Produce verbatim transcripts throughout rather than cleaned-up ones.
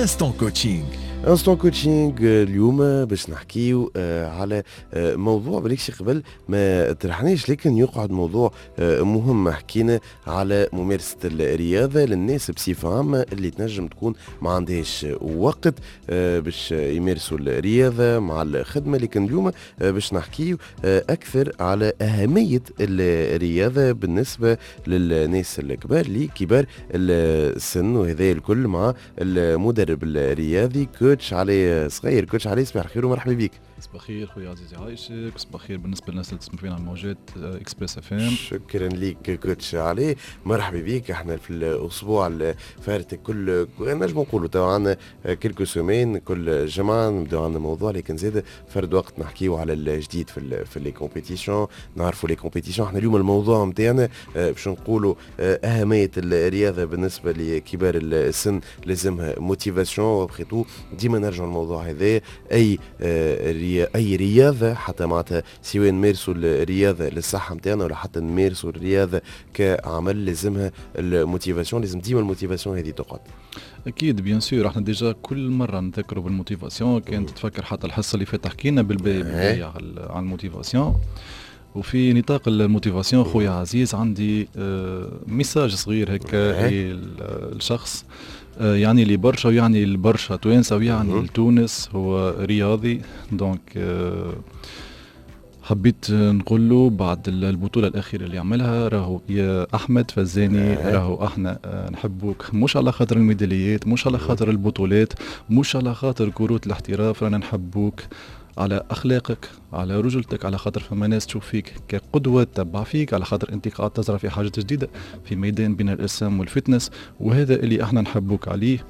Instant Coaching. Instant Coaching اليوم باش نحكيو آه، على آه، موضوع بالكشي قبل ما طرحناش، لكن يقعد موضوع آه، مهم. حكينا على ممارسة الرياضة للناس بصفة عامة اللي تنجم تكون ما عندهاش وقت باش يمارسوا الرياضة مع الخدمة، لكن اليوم باش نحكيو أكثر على أهمية الرياضة بالنسبة للناس الكبار، لكبار السن، وهذا الكل مع المدرب الرياضي coach علي صغير. coach علي، صباح الخير ومرحبا بك. صباح الخير خويا عزيزي، عايشك. صباح الخير بالنسبة للناس اللي تسمع فينا على موجات Express FM. شكرا لك coach علي، مرحبا بك. احنا في الاسبوع اللي فات كل نجم نقولوا تو عندنا quelques semaines كل جمعه نبداو عندنا موضوع، لكن زاد فرد وقت نحكيو على الجديد في ال في les compétitions، نعرفوا les compétitions. احنا اليوم الموضوع نتاعنا آه، باش نقولوا آه، اهمية الرياضة بالنسبة لكبار السن، لازمها motivation. après tout ديما نرجع الموضوع هذا، اي آه، اي رياضه، حتى معناتها سواء نمارسوا الرياضة للصحة نتاعنا ولا حتى نمارسوا الرياضة كعمل، لازمها ال motivation، لازم ديما ال motivation هذه تقعد. اكيد bien sûr، احنا déjà كل مرة نذكروا بال motivation. كانت تتفكر حتى الحصة اللي فاتت حكينا بالباهي على ال motivation. وفي نطاق ال motivation خويا عزيز، عندي آه، message صغير هكا للشخص آه، يعني لي برشا ويعني البرشا توانسة ويعني لتونس، هو رياضي. donc آه، حبيت نقول له بعد البطولة الأخيرة اللي عملها، راهو يا أحمد فزاني، راهو احنا نحبوك مش على خاطر الميداليات، مش على خاطر البطولات، مش على خاطر كروت الاحتراف، رانا نحبوك على اخلاقك، على رجولتك، على خاطر فما ناس تشوف فيك كقدوه، تتبع فيك، على خاطر انت قاعد تزرع في حاجات جديدة في ميدان بناء الاجسام وال fitness، وهذا اللي احنا نحبوك عليه.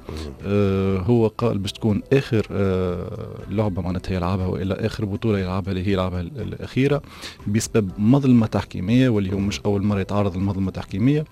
آه هو قال باش تكون اخر آه لعبه معناتها يلعبها والا اخر بطوله يلعبها، اللي هي يلعبها الاخيره، بسبب مظلمة تحكيميه، واللي هو مش اول مرة يتعرض لمظلمه تحكيميه.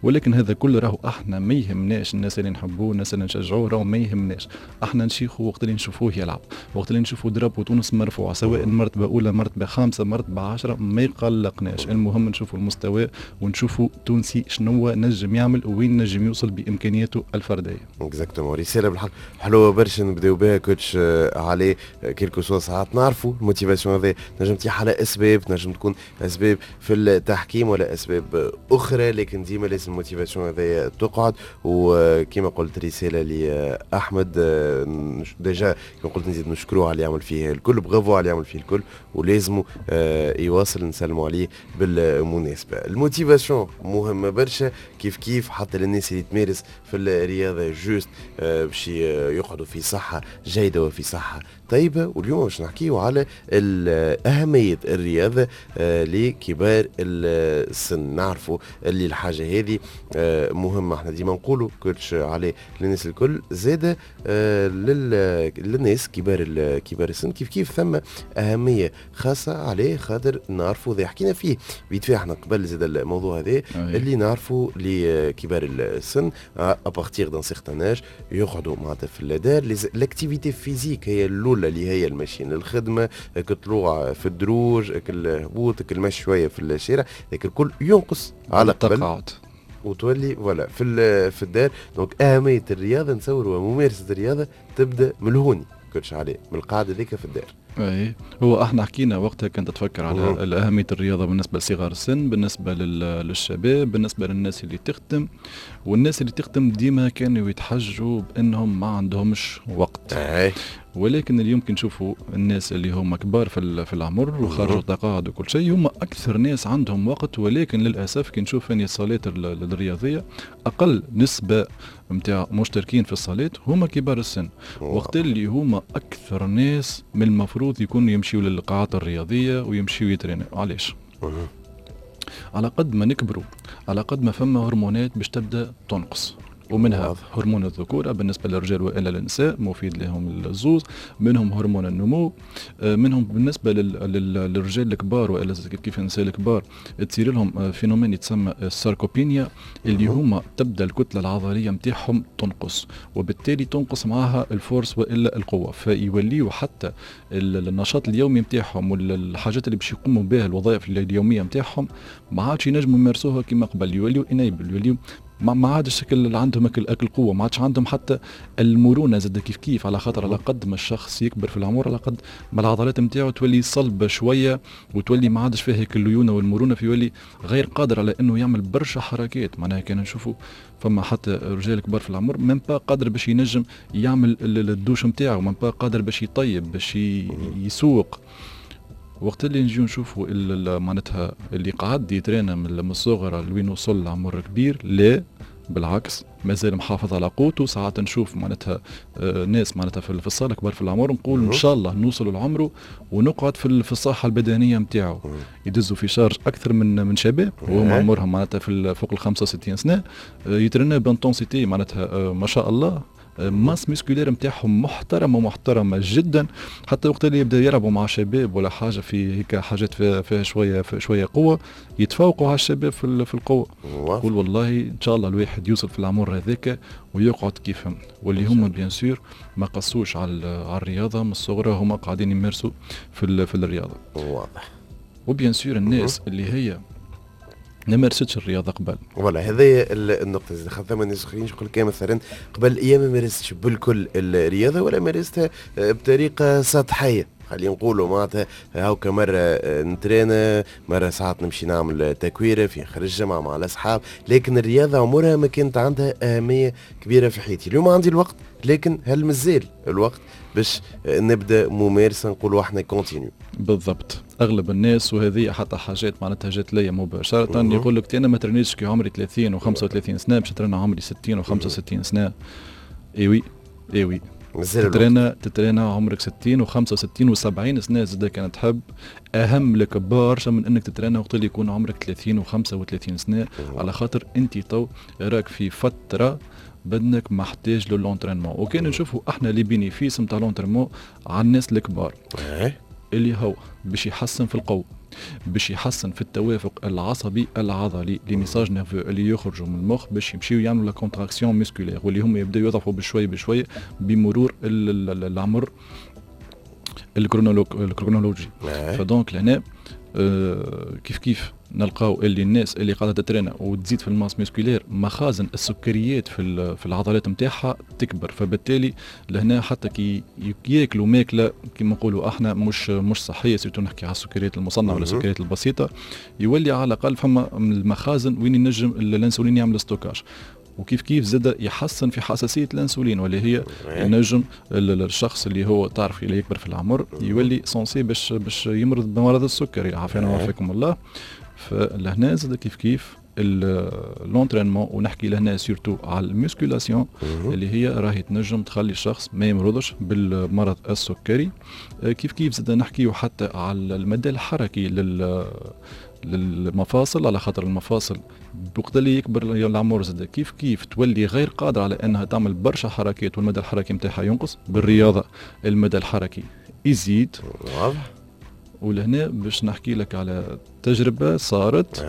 ولكن هذا كله راهو احنا ما يهمناش. الناس اللي نحبوه، الناس اللي نشجعوه، راهو ما يهمناش. احنا نشيخوا وقت اللي نشوفوه يلعب، وقت اللي نشوفوا drapeau تونس مرفوع، سواء مرتبه اولى، مرتبه خامسه، مرتبه عشرة، ما يقلقناش. المهم نشوفوا المستوى ونشوفوا تونسي شنو نجم يعمل وين نجم يوصل بامكانياته الفرديه. exactement، رسالة بالحق حلوة برشا نبداو بها coach آه، علي. quel que soit ساعات نعرفوا ال motivation هذا نجم تيح على اسباب، نجم تكون اسباب في التحكيم ولا اسباب اخرى، لكن ديما لازم ال motivation هذا تقعد. وكما قلت رسالة لاحمد آه، déjà كما قلت نزيد نشكروه على اللي يعمل فيه الكل، برافو على اللي يعمل فيه الكل، ولازم آه، يواصل. نسلموا عليه بالمناسبه. ال motivation مهمة برشا كيف كيف حتى للناس اللي تمارس في الرياضه، juste آه، باش يقعدوا في صحة جيدة وفي صحة طيبه. واليوم باش نحكيو على اهمية الرياضة آه، لكبار السن. نعرفوا اللي الحاجة هذه مهمه، احنا ديما نقولوا coach علي للناس الكل، زاده للناس كبار كبار السن كيف كيف ثم اهمية خاصة عليه، خاطر نعرفوا ذي حكينا فيه بيت احنا قبل زاد الموضوع هذا، اللي نعرفوا لكبار السن à partir d'un certain âge يقعدوا معناتها في الدار. l'activité physique هي الاولى، اللي هي المشي للخدمه، كطلوع في الدروج، الهبوط، المشي شوية في الشارع، لكن الكل ينقص على قبل التقاعد وتولي voilà في في الدار. donc اهمية الرياضة نتصور وممارسة الرياضة تبدا من الهوني coach علي، من القاعدة ذيك في الدار. اي، هو احنا حكينا وقتها كنت تفكر على اهمية الرياضة بالنسبة لصغار السن، بالنسبة للشباب، بالنسبة للناس اللي تخدم. والناس اللي تخدم ديما كانوا يتحجوا بانهم ما عندهمش وقت. أي. ولكن اليوم كي نشوفوا الناس اللي هم كبار في في العمر وخرجوا تقاعد وكل شيء، هم اكثر ناس عندهم وقت. ولكن للاسف كي نشوف اني الصالات الرياضيه، اقل نسبه نتاع مشتركين في الصالات هما كبار السن، وقت اللي هما اكثر ناس من المفروض يكونوا يمشيوا للقاعات الرياضية ويمشيوا يترينوا. علاش؟ على قد ما نكبروا على قد ما فما هرمونات باش تبدا تنقص، ومنها هرمون الذكورة بالنسبة للرجال وإلا للنساء، مفيد لهم الزوز، منهم هرمون النمو، آه، منهم بالنسبة للرجال الكبار وإلا كيف النساء الكبار تصير لهم آه، phénomène يتسمى ال sarcopénie، اللي هما تبدا الكتلة العضلية نتاعهم تنقص، وبالتالي تنقص معها ال force وإلا القوة، فيوليوا حتى النشاط اليومي نتاعهم والحاجات اللي باش يقوموا بها، الوظائف اليومية نتاعهم، ما عادش ينجموا يمارسوها كما قبل، يوليوا inhabiles، يوليوا ما عادش اللي عندهم اكل اكل قوة، ما عادش عندهم حتى المرونة زاد كيف كيف، على خاطر على قد ما الشخص يكبر في العمر على قد ما العضلات نتاعو تولي صلبه شوية وتولي ما عادش فيها الليونه والمرونة، فيولي غير قادر على انه يعمل برشا حركات. معناها كان نشوفوا فما حتى رجال كبار في العمر même pas قادر باش ينجم يعمل الدوش نتاعو، même pas قادر باش يطيب، باش يسوق. وقت اللي نجيو نشوفوا معناتها اللي قعد يترينا من الصغر لوين وصل لعمر كبير، لا بالعكس مازال محافظ على قوته. ساعات نشوف معناتها ناس معناتها في الصاله كبار في العمر نقول ان شاء الله نوصل لعمره ونقعد في في الصحة البدنية نتاعو، يدزوا في charge اكثر من من شباب وهم عمرهم معناتها في فوق ال خمسة وستين سنة، يترنا ب intensité معناتها ما شاء الله، masse musculaire نتاعهم محترمه محترمه جدا. حتى وقت اللي يبدا يلعبوا مع شباب ولا حاجة في هيك حاجات فيها, فيها شوية فيها شوية قوة، يتفوقوا على الشباب في في القوة. قول والله ان شاء الله الواحد يوصل في العمر هذاك ويقعد كيفهم، واللي هما bien sûr ما قصوش على على الرياضة من الصغر، هما قاعدين يمارسوا في في الرياضة. واضح. و bien sûr الناس اللي هي ما مارستش الرياضة قبل، voilà هذه النقطة زاد خاطر ثم ناس اخرين يقول لك مثلا قبل ايام ما مارستش بالكل الرياضة ولا مارستها بطريقة سطحية، خلينا نقولوا معناتها هاكا مرة نترينا، مرة ساعات نمشي نعمل تكويره في اخر الجمعة مع الاصحاب، لكن الرياضة عمرها ما كانت عندها اهمية كبيرة في حياتي. اليوم عندي الوقت، لكن هل مازال الوقت باش نبدا ممارسة نقولوا احنا continue؟ بالضبط. اغلب الناس وهذه حتى حاجات معناتها جات ليا مباشرة يقول لك انا ما ترنيتش كي عمري ثلاثين وخمسة وثلاثين سنة باش ترنا عمري ستين وخمسة وستين سنة. eh oui eh oui تترينا تترينا عمرك ستين وخمسة وستين وسبعين سنة زاد كانت تحب، اهم لك برشا من انك تترينا وقت اللي يكون عمرك ثلاثين وخمسة وثلاثين سنة، على خاطر انت تو راك في فترة بدنك محتاج ل l'entraînement. وكان نشوفوا احنا les bénéfices نتاع l'entraînement على الناس الكبار اللي هو باش يحسن في القوة، باش يحسن في التوافق العصبي العضلي، les messages nerveux اللي يخرجوا من المخ باش يمشيو يعملوا la contraction musculaire، واللي هم يبداو يضعفوا بشوي بشوي بمرور العمر الكرونولوجي. ف donc لهنا آه كيف كيف نلقاو اللي الناس اللي قاعدة تترينا وتزيد في ال masse musculaire مخازن السكريات في في العضلات نتاعها تكبر، فبالتالي لهنا حتى كي ياكلوا ماكله كيما نقولوا احنا مش مش صحية، surtout نحكي على السكريات المصنعة ولا السكريات البسيطة، يولي على الاقل فما المخازن وين ينجم الانسولين يعمل stockage. وكيف كيف زاد يحسن في حساسية الانسولين، واللي هي ينجم الشخص اللي هو تعرف اللي يكبر في العمر يولي sensible باش باش يمرض بمرض السكري، عافانا وعافاكم الله. فلهنا زاد كيف كيف l'entraînement، ونحكي لهنا surtout على ال musculation اللي هي راهي تنجم تخلي الشخص ما يمرضش بالمرض السكري. كيف كيف زاد نحكيو حتى على المدى الحركي لل للمفاصل، على خاطر المفاصل وقت اللي يكبر العمر زاد كيف كيف تولي غير قادرة على انها تعمل برشا حركات، والمدى الحركي نتاعها ينقص. بالرياضة المدى الحركي يزيد. واضح. ولهنا باش نحكي لك على تجربه صارت.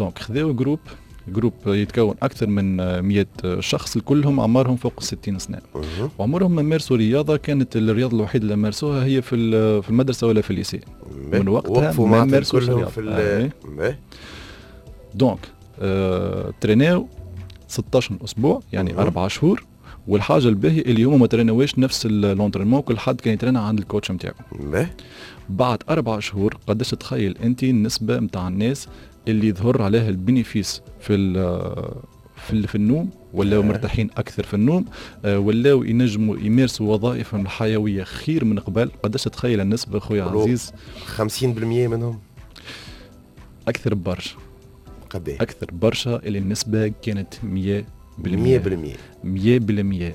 donc خذاو groupe groupe يتكون اكثر من مئة شخص، كلهم اعمارهم فوق الستين سنة، وعمرهم ما مارسوا رياضة. كانت الرياضة الوحيدة اللي مارسوها هي في في المدرسة ولا في ال lycée. من وقتها ما مارسوش رياضة في آه. donc آه، تريناو ستة عشر اسبوع، يعني أربعة شهور. والحاجة الباهيه اللي هما ما تريناوش نفس l'entraînement، كل حد كان يترينا عند ال coach نتاعو. بعد أربع شهور قداش تخيل انت النسبة نتاع الناس اللي ظهر عليها ال bénéfice في في في النوم، ولاو مرتاحين اكثر في النوم، ولاو ينجموا يمارسوا وظائفهم الحيوية خير من قبل؟ قداش تخيل النسبة خويا عزيز؟ خمسين بالمية منهم، اكثر برشا. قد اكثر برشا، اللي النسبة كانت مية بالمية. مية بالمية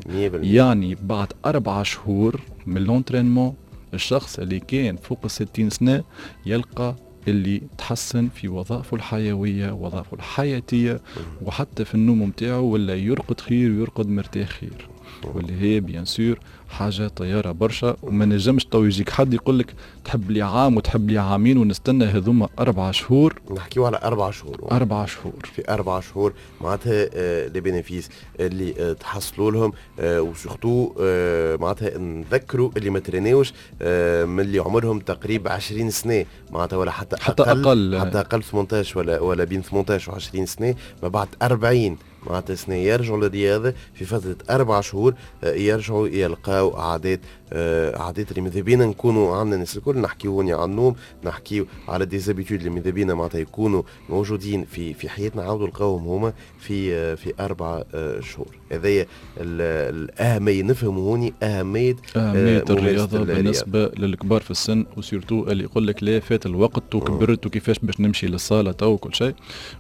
بالمية. يعني بعد أربعة شهور من l'entraînement الشخص اللي كان فوق الستين سنة يلقى اللي تحسن في وظائفه الحيوية، وظائفه الحياتية، وحتى في النوم متاعه، ولا يرقد خير ويرقد مرتاح خير، واللي هي bien sûr حاجة طيارة برشا. وما نجمش تو يجيك حد يقول لك تحب لي عام وتحب لي عامين ونستنى هذوما أربعة شهور. نحكيو على أربعة شهور. أربعة شهور. في أربعة شهور معناتها les bénéfices اللي تحصلوا لهم، و surtout معناتها نذكروا اللي ما ترينيوش من اللي عمرهم تقريبا عشرين سنة معناتها، ولا حتى حتى أقل, أقل حتى أقل ثمانية عشر ولا ولا بين ثمانية عشر وعشرين سنة، ما بعد أربعين معناتها سنة يرجعوا للرياضة في فترة اربع شهور، آه، يرجعوا يلقاو عادات آه، عادات اللي ماذا بينا نكونوا عندنا الناس الكل. نحكيو هوني على النوم، نحكيو على des habitudes اللي ماذا بينا معناتها يكونوا موجودين في في حياتنا، عاودوا لقاوهم هما في آه، في اربع شهور. هذايا الاهمية، نفهموا هوني اهمية اهمية الرياضة بالنسبة للكبار في السن، و surtout اللي يقول لك لا فات الوقت وكبرت وكيفاش باش نمشي للصاله تو وكل شيء.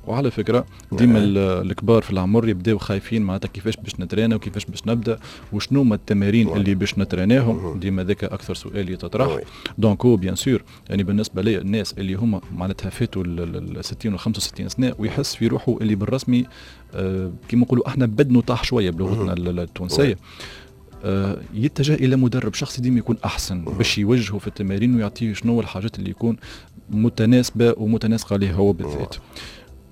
وعلى فكرة ديما الكبار في العمر يبداو خايفين معناتها كيفاش باش نترينا وكيفاش باش نبدا وشنو هما التمارين اللي باش نتريناهم، ديما ذاك اكثر سؤال يتطرح. donc هو bien sûr يعني بالنسبة لي الناس اللي هما معناتها فاتوا ال ستين و خمسة وستين سنة ويحس في روحه اللي بالرسمي آه كيما نقولوا احنا بدنه طاح شوية بلغتنا التونسية، آه يتجه الى مدرب شخصي ديما يكون احسن باش يوجهه في التمارين ويعطيه شنو الحاجات اللي يكون متناسبة ومتناسقه ليه هو بالذات.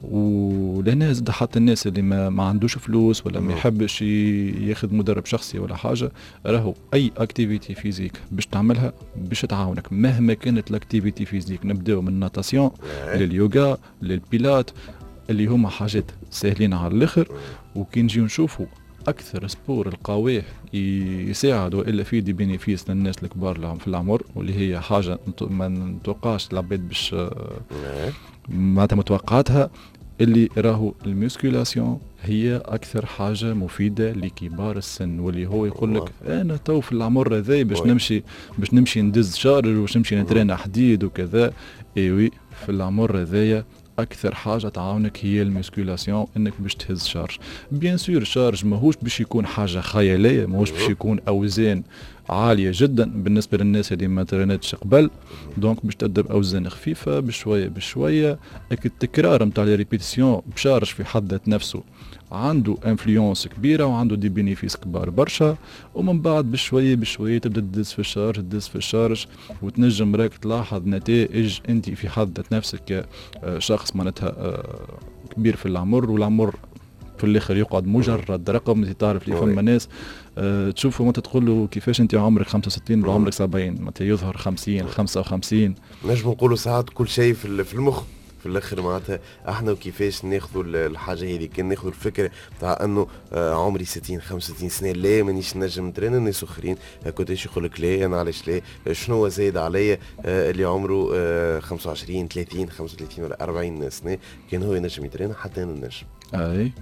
ولهنا زاد حتى الناس اللي ما, ما عندوش فلوس ولا ما يحبش ياخذ مدرب شخصي ولا حاجة، راهو اي activité physique باش تعملها باش تعاونك مهما كانت l'activité physique. نبداو من ال natation لليوغا للبيلات اللي هما حاجات ساهلين على الاخر. وكي نجيو نشوفوا اكثر sport القوية يساعد والا فيه des bénéfices للناس الكبار في العمر، واللي هي حاجة ما نتوقعش العباد باش معناتها متوقعاتها، اللي راهو ال musculation هي اكثر حاجة مفيدة لكبار السن. واللي هو يقول لك انا تو في العمر هذا باش نمشي باش نمشي ندز charge وباش نمشي نترين حديد وكذا، et oui في العمر هذايا اكثر حاجة تعاونك هي ال musculation، انك باش تهز charge. bien sûr charge ماهوش باش يكون حاجة خيالية، ماهوش باش يكون اوزان عالية جدا بالنسبة للناس اللي ما تريناتش قبل، donc باش تبدا باوزان خفيفة بشوية بشوية. التكرار نتاع les répétitions ب charge في حد ذات نفسه عنده influence كبيرة وعنده des bénéfices كبار برشا. ومن بعد بشوية بشوية تبدا تدز في ال charge تدز في ال charge وتنجم راك تلاحظ نتائج انت في حد ذات نفسك كشخص معناتها كبير في العمر. والعمر في الاخر يقعد مجرد رقم. انت تعرف اللي فما ناس أه تشوفه وانت تقول له كيفاش انت عمرك خمسة وستين ولا عمرك سبعين، معناتها يظهر خمسين خمسة وخمسين. نجم نقولوا ساعات كل شيء في المخ في الاخر معناتها احنا وكيفاش ناخذوا الحاجة هذه. كان ناخذوا الفكرة تاع انه عمري ستين خمسة وستين سنة لا مانيش نجم نترين، الناس اخرين كنت يقول لك لا انا علاش لا، شنو زايد عليا اللي عمره خمسة وعشرين ثلاثين خمسة وثلاثين ولا أربعين سنة كان هو ينجم يترين حتى انا نجم. اي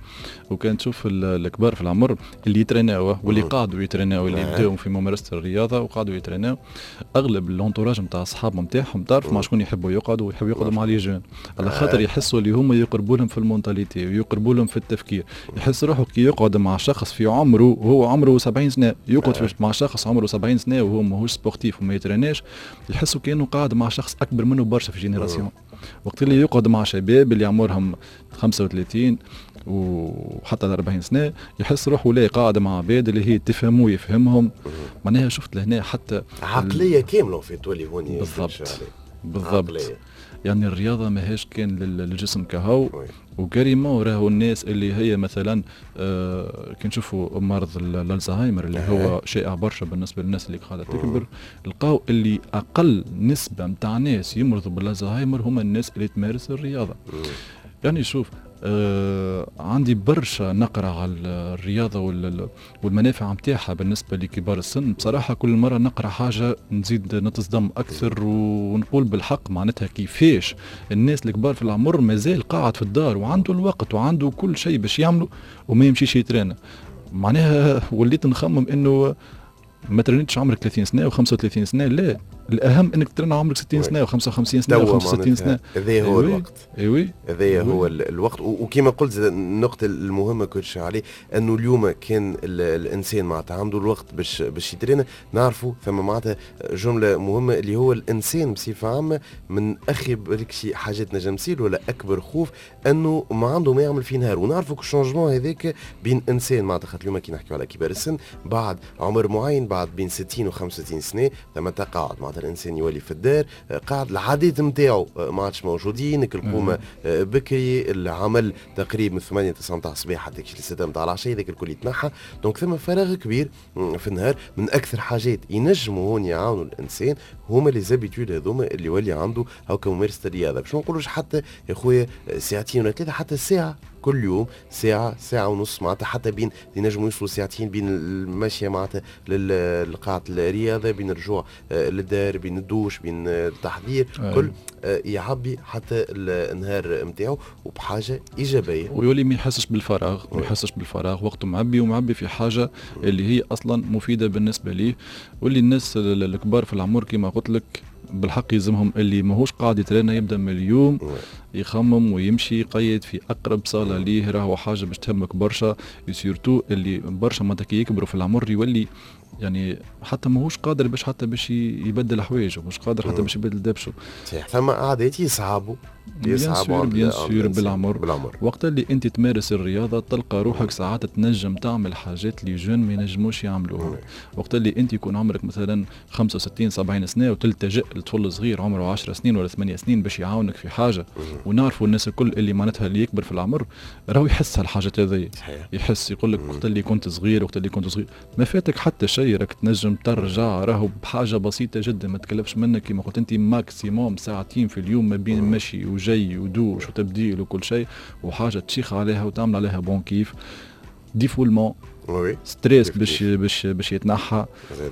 وكان تشوف الكبار في العمر اللي يتريناو واللي قعدوا يتريناو اللي بداو في ممارسة الرياضة وقعدوا يتريناو، اغلب l'entourage نتاع اصحابهم نتاعهم تعرف مع شكون يحبوا يقعدوا، ويحبوا يقعدوا مع les jeunes على خاطر يحسوا اللي هما يقربوا لهم في ال mentalité ويقربوا لهم في التفكير. يحس روحه كي يقعد مع شخص في عمره وهو عمره سبعين سنة، يقعد مع شخص عمره سبعين سنة وهو ماهوش sportif وما يتريناش، يحسوا كانه قاعد مع شخص اكبر منه برشا في génération. وقت اللي يقعد مع شباب اللي عمرهم خمسة وثلاثين وحتى أربعين سنة يحس روحه لا قاعد مع عباد اللي هي تفهمه ويفهمهم. معناها شفت لهنا حتى عقلية كاملة في تولي هوني. بالضبط بالضبط. يعني الرياضة ماهيش كان للجسم كهو و carrément راهو الناس اللي هي مثلا آه كي نشوفوا مرض الالزهايمر اللي هو شائع برشا بالنسبة للناس اللي قاعدة تكبر، لقاو اللي اقل نسبه نتاع ناس يمرضوا بالالزهايمر هما الناس اللي تمارس الرياضة. يعني شوف آه عندي برشا نقرة على الرياضة والمنافع متاعها بالنسبة لكبار السن. بصراحة كل مرة نقرأ حاجة نزيد نتصدم أكثر ونقول بالحق معناتها كيفاش الناس الكبار في العمر مازال قاعد في الدار وعنده الوقت وعنده كل شيء باش يعمله وما يمشيش يترينا. معناها وليت نخمم إنه ما ترينيتش عمرك ثلاثين سنة وخمسة وثلاثين سنة، لا الاهم انك ترن عمرك ستين سنة وخمسة وخمسين سنة وخمسة وستين سنة. هذا هو الوقت. ايوي هذا هو الوقت. وكما قلت النقطة المهمة كنتش عليه انه اليوم كان الانسان معناتها عنده الوقت باش باش يترن. نعرفوا ثم معناتها جملة مهمة اللي هو الانسان بصفة عامة من اخي بالك شي حاجات نجم تصير ولا اكبر خوف انه ما عنده ما يعمل في نهار. ونعرفوا ال changement هذاك بين انسان معناتها خاطر اليوم كي نحكيو على كبار السن بعد عمر معين بعد بين ستين وخمسة وستين سنة ثم تقاعد معناتها الانسان يولي في الدار قاعد العادات نتاعو ما عادش موجودين، القومه بكري، العمل تقريبا من ثمانية تسعة نتاع الصباح حتى ستة نتاع العشية ذاك الكل يتنحى. donc ثم فراغ كبير في النهار. من اكثر حاجات ينجموا هون يعاونوا الانسان هما les habitudes هذوما اللي يولي عنده هاكا ممارسة الرياضة. باش ما نقولوش حتى يا خويا ساعتين ولا ثلاثة، حتى ساعة كل يوم ساعة ساعة ونص معناتها، حتى بين ينجموا يوصلوا ساعتين بين المشي معناتها لقاعه الرياضه، بين الرجوع آه، للدار، بين الدوش، بين التحضير. أي. كل آه، يعبي حتى النهار نتاعو وبحاجة ايجابيه. ويولي ما يحسش بالفراغ، ما يحسش بالفراغ، وقته معبي ومعبي في حاجة اللي هي اصلا مفيدة بالنسبة ليه. واللي الناس الكبار في العمر كما قلت لك بالحق يلزمهم اللي ماهوش قاعد يترينا يبدا من اليوم يخمم ويمشي يقيد في اقرب صاله ليه، راهو حاجة باش تهمك برشا، surtout اللي برشا معناتها كي يكبروا في العمر يولي يعني حتى ماهوش قادر باش حتى باش يبدل حوايجه، مش قادر حتى باش يبدل دبشه. صحيح، ثم عادات يصعبوا. يصعبوا bien sûr بالعمر. بالعمر وقت اللي انت تمارس الرياضة تلقى روحك ساعات تنجم تعمل حاجات les jeunes ما ينجموش يعملوها. وقت اللي انت يكون عمرك مثلا خمسة وستين سبعين سنة وتلتجئ لطفل صغير عمره عشر سنين ولا ثمانية سنين باش يعاونك في حاجه، ونعرفوا الناس الكل اللي معناتها اللي يكبر في العمر راهو يحس هالحاجات هذيا، يحس يقول لك وقت اللي كنت صغير، وقت اللي كنت صغير ما فاتك حتى شيء، راك تنجم ترجع راهو بحاجة بسيطة جدا ما تكلفش منك كما قلت انت maximum ساعتين في اليوم ما بين مشي وجي ودوش وتبديل وكل شيء، وحاجه تشيخ عليها وتعمل عليها bon كيف défoulement stress باش باش باش يتنحى.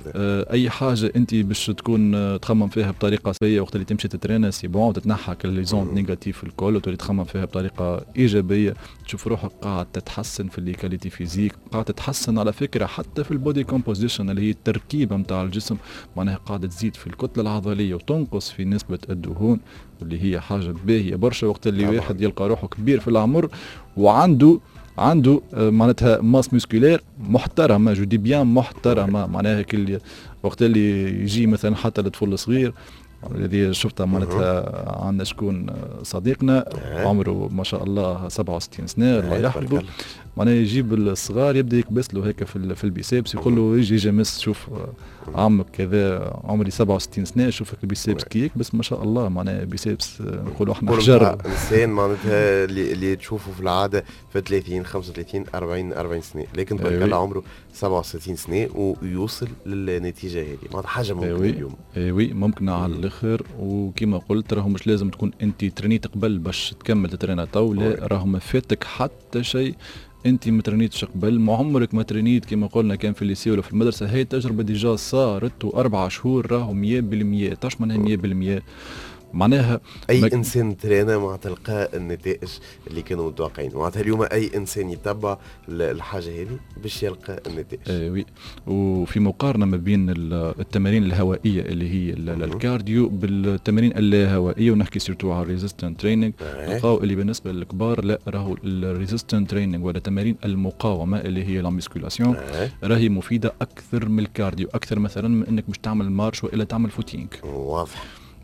آه اي حاجة انت باش تكون تخمم فيها بطريقة سيئه وقت اللي تمشي تترينا c'est bon تتنحى كل les ondes négatives الكل وتولي تخمم فيها بطريقة ايجابية، تشوف روحك قاعد تتحسن في les qualités physiques، قاعد تتحسن على فكرة حتى في ال body composition اللي هي التركيبة نتاع الجسم، معناها قاعدة تزيد في الكتلة العضلية وتنقص في نسبه الدهون واللي هي حاجة باهيه برشا وقت اللي واحد يلقى روحه كبير في العمر وعنده عنده معناتها masse musculaire محترمه، je dis bien محترمه، معناها كل وقت اللي يجي مثلا حتى الطفل الصغير الذي شفتها معناتها عندنا شكون صديقنا عمره ما شاء الله سبعة وستين سنة الله يحفظه، معناها يجيب الصغار يبدا يكبس له هيك في في ال biceps، يقول له يجي يجي مس شوف عمك كذا عمري سبعة وستين سنة شوفك ال biceps كي يكبس ما شاء الله، معناها biceps نقولوا احنا حجر. انسان معناتها اللي, اللي تشوفه في العادة في ثلاثين خمسة وثلاثين أربعين أربعين سنة، لكن تبارك الله عمره سبعة وستين سنة ويوصل للنتيجة هذه، معناتها حاجة ممكنة اليوم. اي oui ممكنة على الاخر. وكما قلت راهو مش لازم تكون انت ترينيت قبل باش تكمل تترينا تو، لا راهو ما فاتك حتى شيء انت ما ترينيتش قبل، ما عمرك ما ترينيت كما قلنا كان في ال lycée ولا في المدرسة، هي التجربة déjà صارت واربع شهور راهو مية بالمية. تعرف معناها مية بالمية؟ معناها اي مك... انسان ترينا مع تلقى النتائج اللي كانوا متوقعين، معناتها اليوم اي انسان يتبع الحاجة هذه باش يلقى النتائج. اي oui. وفي مقارنة ما بين التمارين الهوائية اللي هي ال cardio بالتمارين اللاهوائيه، ونحكي surtout على ال resistance training، نلقاو اللي بالنسبة للكبار لا راهو ال resistance training ولا تمارين المقاومة اللي هي la musculation راهي مفيدة اكثر من ال cardio، اكثر مثلا من انك باش تعمل marche والا تعمل footing. واضح.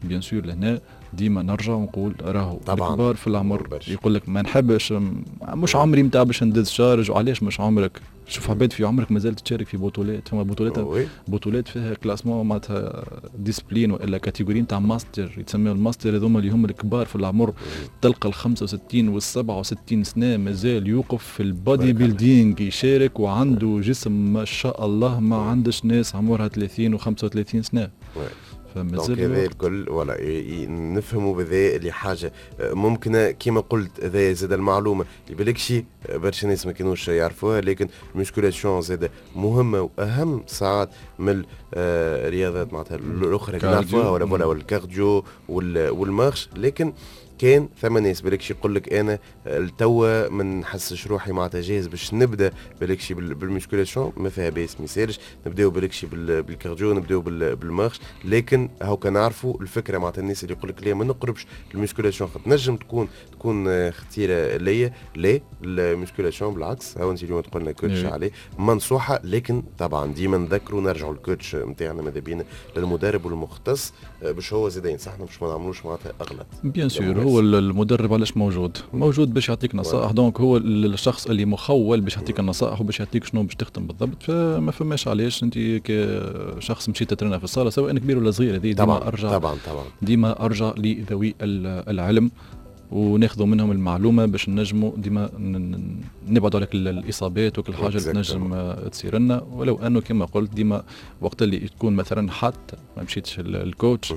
bien sûr لهنا ديما نرجع ونقول راهو الكبار في العمر يقول لك ما نحبش، مش عمري نتاع باش ندز charge. وعلاش مش عمرك؟ شوف عباد في عمرك مازالت تشارك في بطولات، فما بطولات بطولات فيها classement معناتها discipline والا catégorie نتاع ماستر، يتسميو الماستر هذوما اللي هم الكبار في العمر، تلقى ال خمسة وستين وال سبعة وستين سنة مازال يوقف في ال bodybuilding يشارك وعنده جسم ما شاء الله، ما عندش ناس عمرها ثلاثين و خمسة وثلاثين سنة. donc هذا الكل ولا نفهموا بذا اللي حاجة ممكنة كما قلت، هذا زاد المعلومة اللي بالكشي برشا ناس ما كانوش يعرفوها، لكن ال musculation زاد مهمة واهم ساعات من الرياضات معناتها الاخرى اللي نعرفوها ولا ولا ال cardio وال marche. لكن كان ثم ناس بالكشي يقول لك انا التوا ما نحسش روحي معناتها جاهز باش نبدا بالكشي بال musculation، ما فيها باس ما يسالش، نبداو بالكشي بال cardio، نبداو بال marche. لكن هاو نعرفوا الفكرة معناتها الناس اللي يقول لك لا ما نقربش ال musculation خاطر نجم تكون تكون خطيرة ليا، لا ال musculation بالعكس هاو انت اليوم تقول لنا coach عليه منصوحه، لكن طبعا ديما نذكروا نرجعوا لل coach نتاعنا ماذا بينا للمدرب والمختص باش هو زاد ينصحنا باش ما نعملوش معناتها اغلط. bien sûr هو المدرب علاش موجود؟ موجود باش يعطيك نصائح، donc هو الشخص اللي مخول باش يعطيك النصائح وباش يعطيك شنو باش تخدم بالضبط، فما فماش علاش انت كشخص مشيت تترينا في الصاله سواء كبير ولا صغير، هذه ديما ارجع طبعا طبعا ديما ارجع لذوي العلم وناخذوا منهم المعلومة باش نجموا ديما نبعدوا على الاصابات وكل حاجة اللي تنجم تصير لنا. ولو انه كما قلت ديما وقت اللي تكون مثلا حتى ما مشيتش ال coach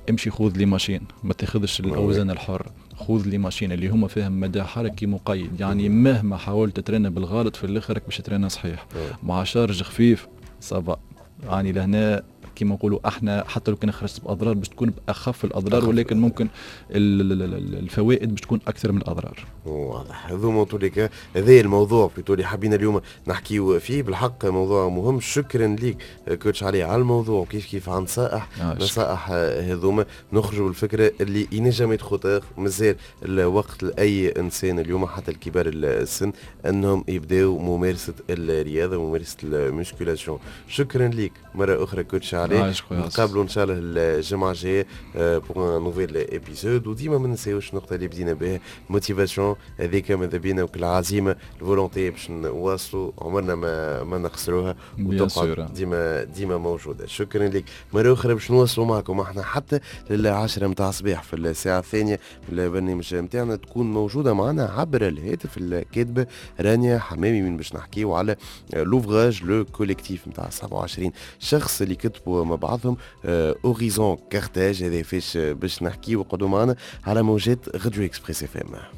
امشي خذ les machines، ما تاخذش الاوزان الحرة، خذ les machines اللي هما فيهم مدى حركي مقيد، يعني مهما حاولت ترينا بالغلط في الاخر باش ترينا صحيح. مع charge خفيف ça va، يعني لهنا كما نقولوا احنا حتى لو كان خرجت باضرار باش تكون باخف الاضرار، ولكن ممكن الفوائد باش تكون اكثر من الاضرار. واضح. هذوما tous les cas هذا الموضوع plutôt اللي حبينا اليوم نحكيو فيه، بالحق موضوع مهم. شكرا لك coach علي على الموضوع، وكيف كيف عن نصائح آه نصائح هذوما نخرجوا بالفكرة اللي ينجم يتخطر، مازال الوقت لاي انسان اليوم حتى الكبار السن انهم يبداو ممارسة الرياضه وممارسة ال musculation. شكرا لك مرة اخرى coach علي، نتقابلوا ان شاء الله الجمعة الجاية pour un nouvel épisode. وديما ما ننساوش النقطة اللي بدينا بها، motivation هذيك ماذا بينا، وكل عزيمة ال volonté باش نواصلوا عمرنا ما ما نخسروها وتقعد ديما ديما موجوده. شكرا لك مرة اخرى. باش نواصلوا معكم احنا حتى للعشرة متاع الصباح في الساعة الثانية من البرنامج نتاعنا، تكون موجودة معنا عبر الهاتف الكاتبة رانيا حمامي من باش نحكيو على l'ouvrage le collectif نتاع سبعة وعشرين شخص اللي كتبوا مع بعضهم Horizon Carthage. هذا فاش باش نحكيو، وقعدوا معنا على موجات راديو Express FM.